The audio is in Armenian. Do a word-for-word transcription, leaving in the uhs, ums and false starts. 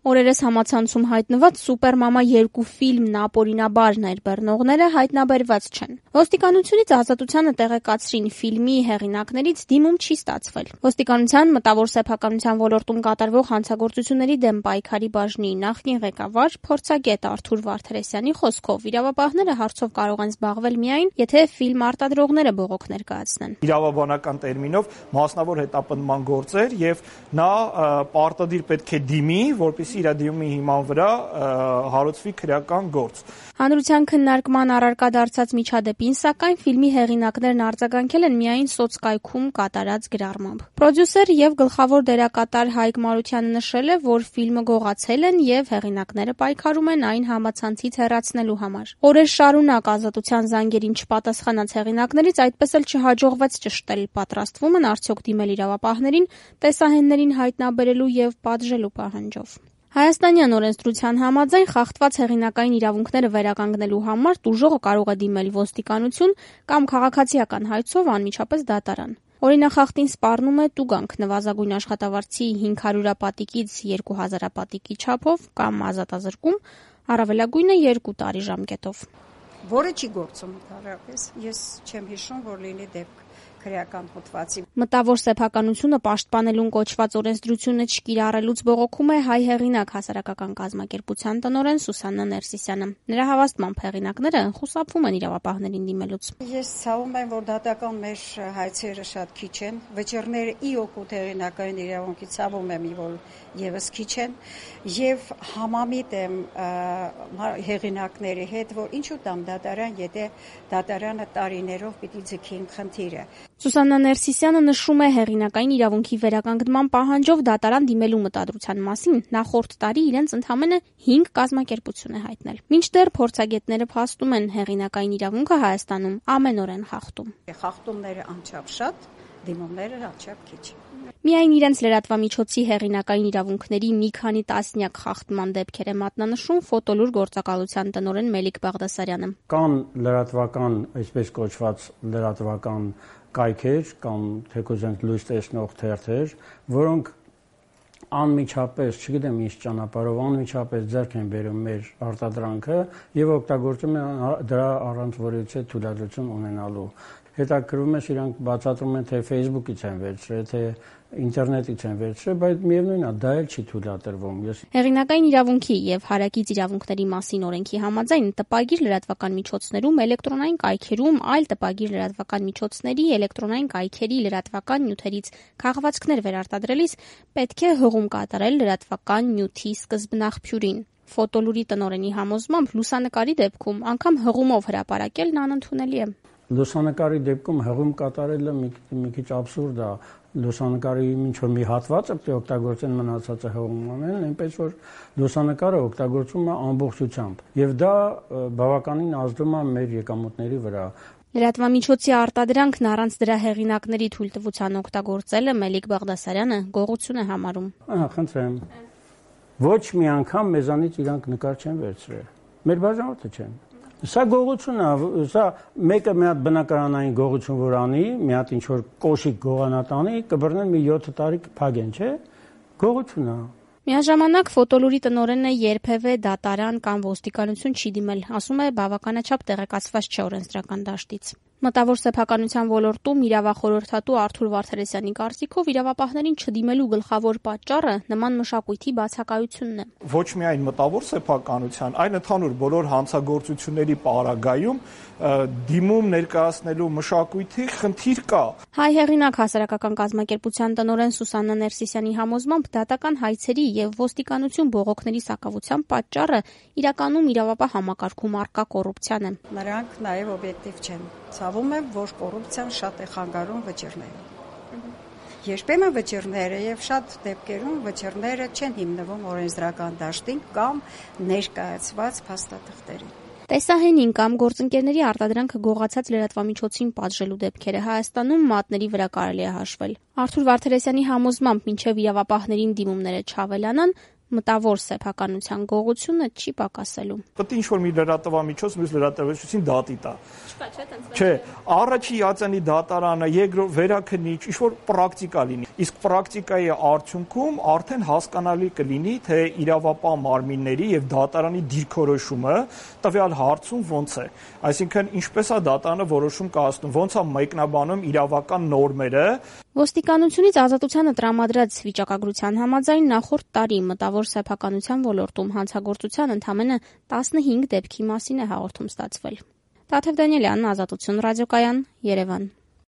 Օրերս համացանցում հայտնված «Սուպերմամա երկու» ֆիլմն ապօրինաբար ներբեռնողները հայտնաբերված չեն։ Ոստիկանությունից ազատությանը տեղեկացրին ֆիլմի հեղինակներից դիմում չի ստացվել։ Ոստիկանության մտավոր սեփականության ոլորտում կատարվող հանցագործությունների դեմ պայքարի բաժնի նախկին ղեկավար, փորձագետ Արթուր Վարդերեսյանի խոսքով իրավապահները հարցով կարող են զբաղվել միայն, եթե ֆիլմ արտադրողները բողոք ներկայացնեն։ Իրավաբանական տերմինով մասնավոր հետապնդման գործեր եւ նա պարտադիր պետք է դիմի, որպեսզի իր դիմումի հիման վրա հարուցվի քրեական գործ։ Հանրության քննարկման առարկա դարձած միջադեպին, սակայն ֆիլմի հեղինակներն արձագանքել են միայն սոցկայքում կատարած գրառմամբ։ Պրոդյուսեր եւ գլխավոր դերակատար Հայկ Մարությանը նշել է, որ ֆիլմը գողացել են եւ հեղինակները պայքարում են այն համացանցից հեռացնելու համար։ Օրեր շարունակ ազատության զանգերին չպատասխանած հեղինակներից այդպես էլ չհաջողվեց ճշտել, պատրաստվում են արդյոք դիմել իրավապահներին տեսահեններին հայտնաբերելու եւ պատժելու պահանջով։ Հայաստանյան օրենսդրության համաձայն խախտված հեղինակային իրավունքները վերականգնելու համար տուժողը կարող է դիմել ոստիկանություն կամ քաղաքացիական հայցով անմիջապես դատարան։ Օրինախախտին սպառնում է տուգանք նվազագույն աշխատավարձի հինգ հարյուրապատիկից երկու հազարապատիկի չափով կամ ազատազրկում, առավելագույնը երկու տարի ժամկետով։ Որը չի գործում ընդհանրապես, ես չեմ հիշում, որ լինի դեպք քրեական հոդվածի։ Մտավոր սեփականությունը պաշտպանելուն կոչված օրենսդրությունը չկիրառելուց բողոքում է հայ հեղինակ հասարակական կազմակերպության տնօրեն Սուսաննա Ներսիսյանը։ Նրա հավաստմամբ հեղինակները խուսափվում են իրավապահներին դիմելուց։ Ես ցավում եմ, որ դատական մեր հայցերը շատ քիչ են, վճիռները ի օգուտ հեղինակային իրավունքի ցավում եմ, որ եւս քիչ են, եւ համամիտ եմ հեղինակների հետ, որ ինչու տամ դատարան, եթե դատարանը տարիներով պիտի ձգի խնդիրը։ Սուսաննա Ներսիսյանը նշում է հեղինակային իրավունքի վերականգնման պահանջով դատարան դիմելու մտադրության մասին նախորդ տարի իրենց ընդամենը հինգ կազմակերպություն է հայտնել։ Մինչդեռ փորձագետները փաստում են հեղինակային իրավունքը Հայաստանում ամենօրեն խախտում։ Խախտումները անչափ շատ, դիմումները անչափ քիչ։ Միայն իրենց լրատվամիջոցի հեղինակային իրավունքների մի քանի տասնյակ խախտման դեպքեր է մատնանշում ֆոտոլուր գործակալության տնօրեն Մելիք Բաղդասարյանը։ Կան լրատվական, այսպես կոչված լրատվական կայքեր կամ թեկուզ լույս տեսնող թերթեր, որոնք անմիջապես, չգիտեմ ինչ ճանապարհով, անմիջապես ձեռք են բերում մեր արտադրանքը եւ օգտագործում են դրա առանց որևիցե թույլատրություն ունենալու։ Հետաքրքրում է, իրանք բացատրում են, թե Facebook-ից են վերցրել, թե ինտերնետից են վերցրել, բայց միևնույնն է, դա էլ չի թույլատրվում։ Ես Հեղինակային իրավունքի եւ հարակից իրավունքների մասին օրենքի համաձայն տպագիր լրատվական միջոցներում, էլեկտրոնային կայքերում, այլ տպագիր լրատվական միջոցների, էլեկտրոնային կայքերի լրատվական նյութերից քաղվածքներ վերարտադրելիս պետք է հղում կատարել լրատվական նյութի սկզբնաղբյուրին։ Ֆոտոլուրի տնօրենի համոզմամբ լուսանկարի դեպքում անգամ հղումով հրապարակելն անընդունելի է։ Լուսանկարի դեպքում հղում կատարելը մի, մի քիչ աբսուրդ է։ Լուսանկարի ինչ որ մի հատվածը պետք է օգտագործեն, մնացածը հղում անեն, այնպես որ լուսանկարը օգտագործվում է ամբողջությամբ եւ դա բավականին ազդում է մեր եկամուտների վրա։ Լրատվամիջոցի արտադրանքն առանց դրա հեղինակների թույլտվության օգտագործելը Մելիք Բաղդասարյանը գողություն է համարում։ Ահա, խնդրեմ։ Ոչ մի անգամ մեզանից իրանք նկար չեն վերցրել։ Մեր բաժանորդը չեն։ Սա գողություն է, սա մեկը մի հատ բնակարանային գողություն որ անի, մի հատ ինչ որ կոշիկ գողանատանի, կբռնեն մի յոթ տարի կփագեն, չէ՞։ Գողություն է։ Միաժամանակ ֆոտոլուրի տնօրենը երբևէ դատարան կամ ոստիկանություն չի դիմել, ասում է բավականաչափ տեղեկացված չէ օրենսդրական դաշտից։ Մտավոր սեփականության ոլորտում իրավախորհրդատու Արթուր Վարդերեսյանի կարծիքով իրավապահներին չդիմելու գլխավոր պատճառը նման մշակույթի բացակայությունն է։ Ոչ միայն մտավոր սեփականության, այլ ընդհանուր բոլոր հանցագործությունների պարագայում դիմում ներկայացնելու մշակույթի խնդիր կա։ Հայ հեղինակ հասարակական կազմակերպության տնօրեն Սուսաննա Ներսիսյանի համոզմամբ դատական հայցերի եւ ոստիկանություն բողոքների սակավության պատճառը իրականում իրավապահ համակարգում առկա կոռուպցիան է։ Նրանք նաեւ օբյեկտիվ չեն։ Ցավում է, որ կոռուպցիան շատ է խանգարում վճիռներին։ Երբեմն վճիռները եւ շատ դեպքերում վճիռները չեն հիմնվում օրենսդրական դաշտին կամ ներկայացված փաստաթղթերին։ Տեսահենին կամ գործընկերների արտադրանքը գողացած լրատվամիջոցին պատժելու դեպքերը Հայաստանում մատների վրա կարելի է հաշվել։ Արթուր Վարդերեսյանի համոզմամբ մինչև իրավապահներին դիմումները չավելանան, մտավոր սեփականության գողությունը չի պակասելու։ Պետք է ինչ-որ մի լրատվամիջոց մյուս լրատվամիջոցին դատի տա։ Չկա, չէ՞, տենց։ Չէ, առաջի հիացանի դատարանը, երկրորդ վերաքննիչ, ինչ-որ պրակտիկա լինի։ Իսկ պրակտիկայի արդյունքում արդեն հասկանալի կլինի, թե իրավապահ մարմինների եւ դատարանի դիրքորոշումը տվյալ հարցում ոնց է։ Այսինքն, ինչպես է դատարանը որոշում կայացնում, ոնց է մեկնաբանում իրավական նորմերը։ Ոստիկանությունից ազատությանը տրամադրած վիճակագրության համաձայն նախորդ տարի մտավոր սեփականության ոլորտում հանցագործության ընդամենը տասնհինգ դեպքի մասին է հաղորդում ստացվել։ Տաթև Դանիելյան, Ազատություն ռադիոկայան, Երևան։